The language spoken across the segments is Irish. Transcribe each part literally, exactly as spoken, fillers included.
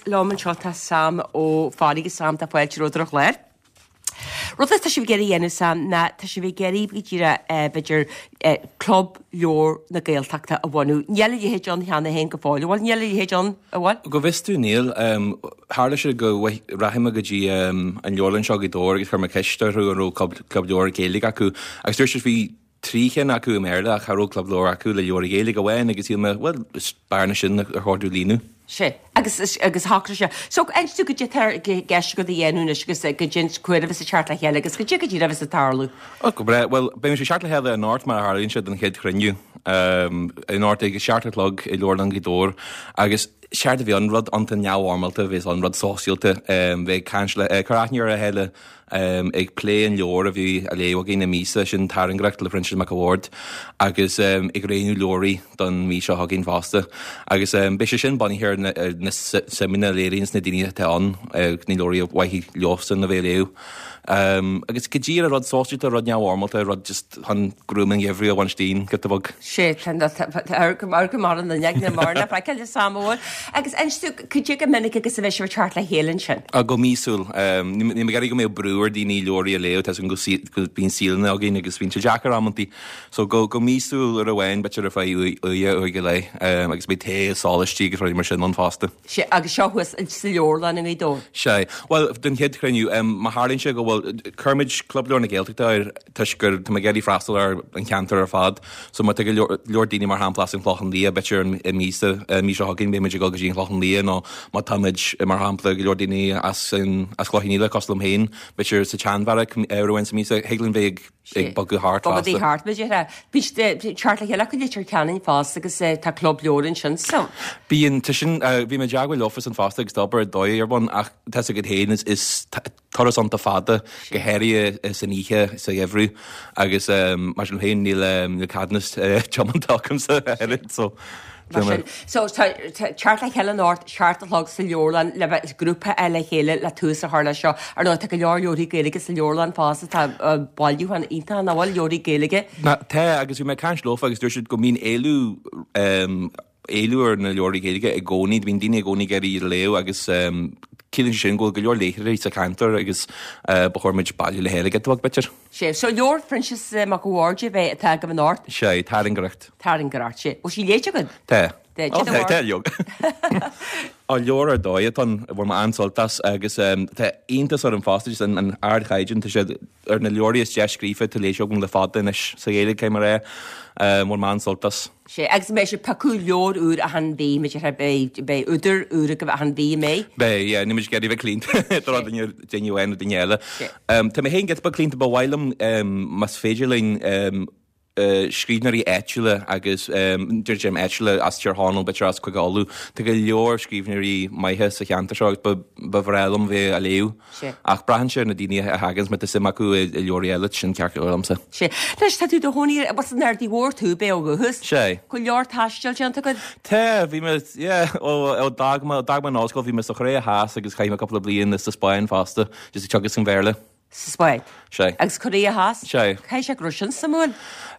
Liom anseo tá Sam Ó Fearraigh. Sam, tá fáilte romhat ar an chlár. Rud atá sibh ag iarraidh a dhéanamh, Sam, ná tá sibh ag iarraidh go díreach b'fhéidir Club Leabhar na Gaeltachta a bhunú. Níl a leithéid ann cheana féin go fóill, an bhfuil? Níl a leithéid ann, an bhfuil? Go bhfios domh níl. Tharla sé go rachaidh mé go dtí an leabharlann seo i Gaoth Dobhair agus chuir mé ceist orthu an raibh club leabhar Gaeilge acu agus dúirt siad bhí trí chinn acu i mBéarla ach cha raibh club leabhar acu le leabhair Ghaeilge amháin agus shíl mé, bhuel, is bearna sin ar chóir dúinn líonadh. Sea, agus agus shocraigh sé. So, inis dúinn goidé atá i gceist agat a dhéanamh anois agus goidé cá huair a bheas ag teacht le chéile agus goidé go díreach a bheas ag tarlú. Ó, go breá. Bhuel, beidh muid ag teacht le chéile anocht mar a tharlaíonn sé don chéad chruinniú. Anocht ag a seacht a chlog i Leabharlann Ghaoth Dobhair agus séard a bhí ann, rud iontach neamhfhoirmeálta a bheas ann, rud sóisialta, bheith ag caint le, cur aithne ar a chéile, ag plé an leabhair a bhí á léamh againn i míosa, sin Tairngreacht le Proinsias Mac a' Bhaird, agus ag roghnú leabhraí don mhí seo chugainn fosta. Agus beidh sé sin bunaithe ar na suimeanna a léiríonns na daoine atá ann, na leabhraí a mhaithfidh leosan a bheith a léamh. Agus go díreach rud sóisialta, rud neamhfhoirmeálta, rud just chun gruaim an gheimhridh a bhaint dínn, giota beag. Sé, tá mar go mar an duine mar na feiceáil Sam bhfuil. Agus inis dúinn goidé chomh minic agus a bheidh sibh ag teacht le chéile ansin? Go míosúil. Níl mé ag iarraidh go mbeadh brú ar daoine leabhraí a léamh, tá 's agam go bíonn saolanna againn agus bíonn sé deacair amantaí. So go go míosúil uair amháin, b'fhéidir ar feadh uair, uair go leith, agus beidh tae is sólaistí agus rudaí mar sin ann fosta. Sea, agus seo thuas sa leabharlann i nGaoth Dobhair. Sea. Bhuel, don chéad chruinniú, má tharlaíonn sé go bhfuil, cuirimid Club Leabhar na Gaeltachta air toisc gur, tá mé ag iarraidh freastal ar an cheantar ar fad. So má tá go leor, leor daoine mar shampla as an Chlochán Liath, b'fhéidir i míosa, an mhí seo chugainn beidh muid ag dul go dtí an Chlochán Liath nó má táimid, mar shampla, go leor daoine as an, as Cloich Cheann Fhaola cosúil liom féin, b'fhéidir sa tSeanbheairic uair amháin sa míosa, thig linn bheith ag, ag bogadh thart fosta. Bogadh thart, b'fhéidir. Bíonn teacht le chéile acu i Leitir Ceanainn fosta agus tá club leabhar ansin so. Bíonn, tá sin, bhí mé i dteagmháil leofasan fosta agus tá obair ar dóigh ar bun ach tá 's agat féin is turas iontach fada, go háirithe san oíche sa gheimhreadh agus mar sin féin níl níl ceadúnas tiomána agamsa a oiread so. Mar sin, so tá teacht le chéile anocht, seacht a chlog sa leabharlann le bheith grúpa le chéile le tús a chur leis seo. Ar ndóigh, tá go leor leabharthaí Gaeilge sa leabharlann fosta, tá bailiúchán iontach nach bhfuil, leabharthaí Gaeilge. Tá, agus bhí mé ag caint leofa agus dúirt siad go mbíonn éileamh, éileamh ar na leabharthaí Gaeilge i gcónaí, bíonn daoine i gcónaí ag iarraidh iad a léamh agus ciallaíonn sé sin go bhfuil go leor léitheoirí sa cheantar agus ba chóir muid bailiú le chéile giota beag, b'fhéidir. Sea, so leabhar Phroinsias Mac a' Bhaird a bheidh atá agaibh anocht? Sea, Tairngreacht. Tairngreacht, sea. Bhfuil sí léite agat? Tá. Tá, Ó, tá, tá, leoga. Ó, leabhar ar dóigh atá ann, bhain mé an-sult as agus tá iontas orm fosta just an ardchaighdeán, tá sé ar na leabharthaí is deise scríofa atá léite agam le fada anois sa Ghaeilge, caithfidh mé a rá. Bhain mé an-sult as. Sea, agus beidh sibh ag piocadh leabhar úr achan mhí, b'fhéidir, beidh, beidh údar úr agaibh achan mhí, an mbeidh? Beidh, yeah, níl muid ag iarraidh bheith claonta do rud duine, duine amháin nó duine eile. Tá mé féin giota beag claonta, ba mhaith liom, más féidir linn, scríbhneoirí áitiúla agus, deirim áitiúla, as Tír Chonaill, b'fhéidir as Cúige Uladh, tá go leor scríbhneoirí maithe sa cheantar seo agus ba, ba bhreá liom bheith á léamh. Sea. Ach braitheann sé ar na daoine a thaganns, má tá suim acu i leabharthaí eile, sin ceart go leor liomsa. Sea. Anois, tá tú i do chónaí ar, bhuel, san Aird Mhór tú, ab é ó dhúchas? Sea. Go leor taistil déanta agat? Tá, bhí mé, yeah, ó, ó d'fhág mé, d'fhág mé an ollscoil, bhí mé sa Chóiré Theas agus chaith mé cúpla bliain sa Spáinn fosta, just ag teagasc an Bhéarla. Sa Spáinn? Sea. Agus Cóiré Theas? Sea. Caithfidh sé go raibh sin suimiúil?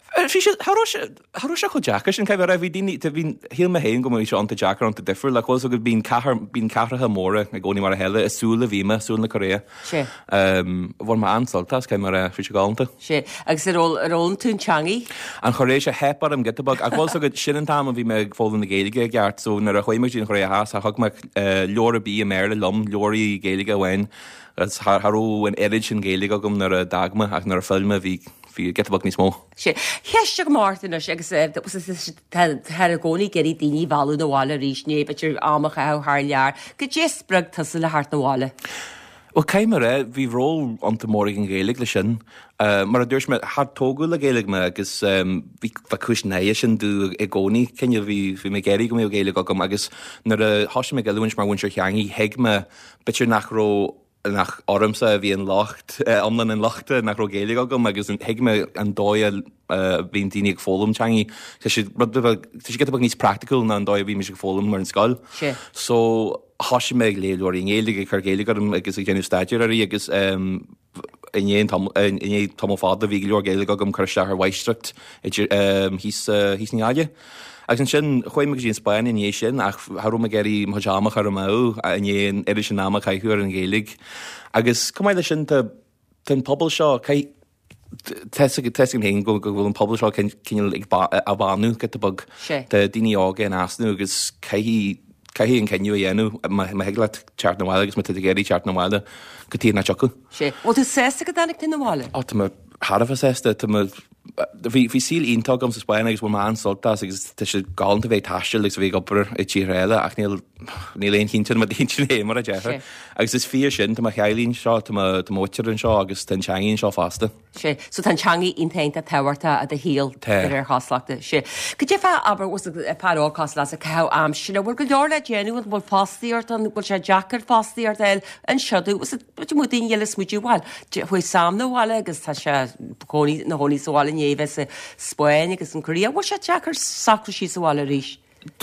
Bhí sé, cha raibh sé, cha raibh sé chomh deacair sin, caithfidh mé a rá, bhí daoine, bhí, shíl mé féin go mbeadh sé iontach deacair, iontach difriúil, ach bhfuil 's agat, bíonn cathair, bíonn cathracha móra i gcónaí mar a chéile, i Súl a bhí mé, Súl na Cóiré. Sea. Bhain mé an-sult as, caithfidh mé a rá, bhí sé galánta. Sea, agus ar fhoghlaim, ar fhoghlaim tú an teangaidh? An Chóiréis, theip orm giota beag, ach bhfuil 's agat, sin an t-am a bhí mé ag foghlaim na Gaeilge i gceart, so nuair a chuaigh mé go dtí an Chóiré Theas, cha thug mé leabhar ar bith i mBéarla liom, leabharthaí Gaeilge amháin, agus cha raibh an oiread sin Gaeilge agam nuair a d'fhág mé, ach nuair a phill mé bhí, bhí giota beag níos mó. Sea. Ceist agam ort anois agus táthar i gcónaí ag iarraidh daoine a mhealladh 'na bhaile arís, nó b'fhéidir am a chaitheamh thar lear. Goidé a spreag tusa le theacht 'na bhaile? Bhuel, caithfidh mé a rá, bhí ról iontach mór ag an Ghaeilge leis sin. Mar a dúirt mé, char tógadh le Gaeilge mé agus bhí bheadh cúis náire sin domh i gcónaí. Cineál, bhí bhí mé ag iarraidh go mbeadh Gaeilge agam agus nuair a thosaigh mé ag oiliúint mar mhúinteoir teangaidh, thuig mé b'fhéidir nach raibh nach ormsa a bhí an locht, iomlán an lochta, nach raibh Gaeilge agam agus thuig mé an dóigh a bhíonn daoine ag foghlaim teangaí. Tá sé rud beag, tá sé giota beag níos praiticiúil ná an dóigh a bhímis ag foghlaim ar an scoil. Sea. So thosaigh mé ag léamh leabharthaí i nGaeilge, ag cur Gaeilge orm agus ag déanamh staidéir uirthi agus i ndiaidh an i ndiaidh tamall fada bhí go leor Gaeilge agam cur isteach ar mháistreacht idir thíos thíos i nGaillimh. Agus ansin chuaigh mé go dtí an Spáinn i ndiaidh sin ach cha raibh mé ag iarraidh mo chuid ama a chur amú i ndiaidh an oiread sin ama a chaitheamh ar an Ghaeilge. Agus chomh maith leis sin tá tá an pobal seo caith Tá a fhios agam féin go bhfuil an pobal seo cineál ag á bhánú giota beag. Tá daoine óga in easnamh agus caithfidh caithfidh an cinneadh a dhéanamh má thig leat teacht 'na bhaile agus má tá tú ag iarraidh teacht 'na bhaile go tír nach dtiocfadh. Sea. Bhfuil tú sásta go dtáinig tú 'na bhaile? Ó tá mé thar a bheith sásta. Tá mé bhí bhí saol iontach agam sa Spáinn agus bhain mé an-sult as agus tá sé galánta a bheith ag taisteal agus a bheith ag obair i tíortha eile ach níl níl aon chinnte i m'intinn féin mar a déarfá. Agus is fíor sin, tá mo theaghlaigh anseo, tá mo tá mo mhuintir anseo agus tá an teangaidh anseo fosta. Sea, so tá an teangaidh iontach iontach tábhachtach i do shaol Tá. de réir chosúlachta. Sea. Cad é fá, abair, fear óg cosúil leatsa ag caitheamh aimsire, bhfuil go leor le déanamh, an bhfuil fostaíocht ann, bhfuil sé deacair fostaíocht a fháil anseo, bhfuil muid daoine eile ag smaoitiú, bhuel, chuaigh Sam 'na bhaile agus tá sé cónaí ina chónaí sa bhaile i ndiaidh bheith sa Spáinn agus an Korea, bhfuil sé deacair socrú síos sa bhaile arís?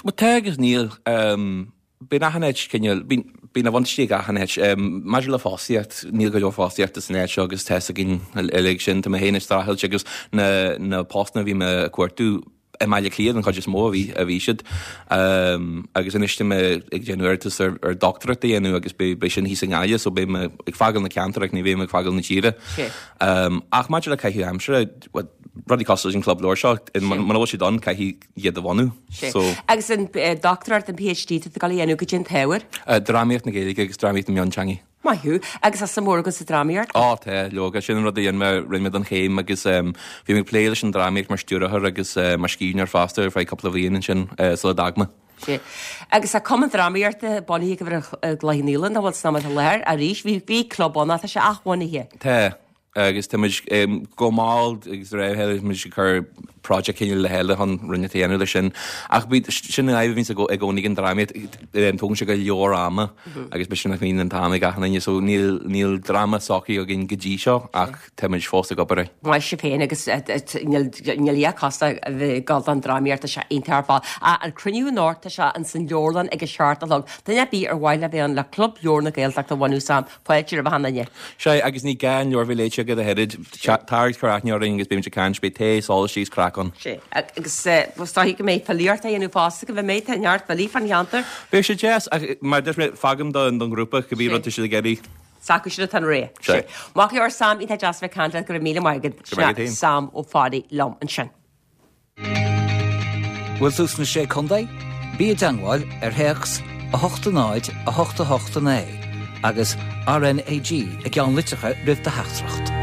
Bhuel tá agus níl. Bíonn achan áit cineál, bíonn, bíonn a bhuntáistí ag achan áit. Maidir le fostaíocht, níl go leor fostaíochta san áit seo agus tá 'fhios againn uilig sin. Tá mé féin ag streachailt agus na, na postanna a bhí mé ag cuartú i mBaile Átha Cliath den chuid is mó a bhí, a bhí siad. Agus anois tá mé ag déanamh iarratas ar, ar dochtúireacht a dhéanamh agus beidh, beidh sin thíos i nGaillimh so beidh mé ag fágáil na ceantar ach ní bheidh mé ag fágáil na tíre. Ach maidir le caitheamh aimsire, bhuel, rudaí cosúil leis an Club Leabhar seo, muna bhfuil siad ann, caithfidh iad a bhunú. So. Agus an dochtúireacht, an PhD, tá tú ag dul a dhéanamh, goidé an t-ábhar? Drámaíocht na Gaeilge agus drámaíocht na mionteangaí. Maith thú. Agus tá suim mhór agat sa drámaíocht? Ó tá, leoga. Sin an rud a dhein mé, rinne mé don chéim agus bhí mé ag plé leis an drámaíocht mar stiúrthóir agus mar scríbhneoir fosta ar feadh cúpla bhliain ansin sula d'fhág mé. Sea. Agus tá Cumann Drámaíochta bunaithe agaibh i gCloich Cheann Fhaola, nach bhfuil san am i láthair arís. Bhí bhí club ann ach tá sé athbhunaithe. Tá. Agus tá muid go mall agus de réir a chéile tá muid ag cur project cineál le chéile chun rudaí a dhéanamh leis sin. Ach bí, sin an fhadhb a bhíonns i gcónaí ag an drámaíocht, tógann sé go leor ama agus b'fhéidir nach mbíonn an t-am ag achan duine. So níl, níl dráma socraithe againn go dtí seo ach tá muid fós ag obair air. Maith sibh féin agus níl, níl a dhath costasach a bheith ag dul don drámaíocht, tá sé iontach ar fad. An cruinniú anocht, tá sé ins an leabharlann ag a seacht a chlog. Duine ar bith ar mhaith le bheith ann le Club Leabhar na Gaeltachta a bhunú Sam, fáilte roimh achan duine. Sea, agus ní gá an leabhar a bheith léite agat ach oiread. Tar agus cuir aithne orainn agus beimid ag caint, beidh tae, sólaistí is craic ann. Sea, agus is dóigh go mbeidh filíocht á dhéanamh fosta, go mbeidh, tá neart filí fán cheantar. Beidh sé deas, ach mar a dúirt mé, fágaim don ghrúpa cibé rud tá siad ag iarraidh. S'acu sin atá an rogha. Sea. Maith go leor Sam, iontach deas a bheith ag caint leat, go raibh míle maith agat. Go raibh maith agat féin. Sam Ó Fearraigh liom ansin. Bhfuil tú sna Sé Contae? Bí i dteangmháil ar théacs a hocht a náid a hocht a hocht a naoi agus RnaG i gceann litreacha roimh do theachtaireacht.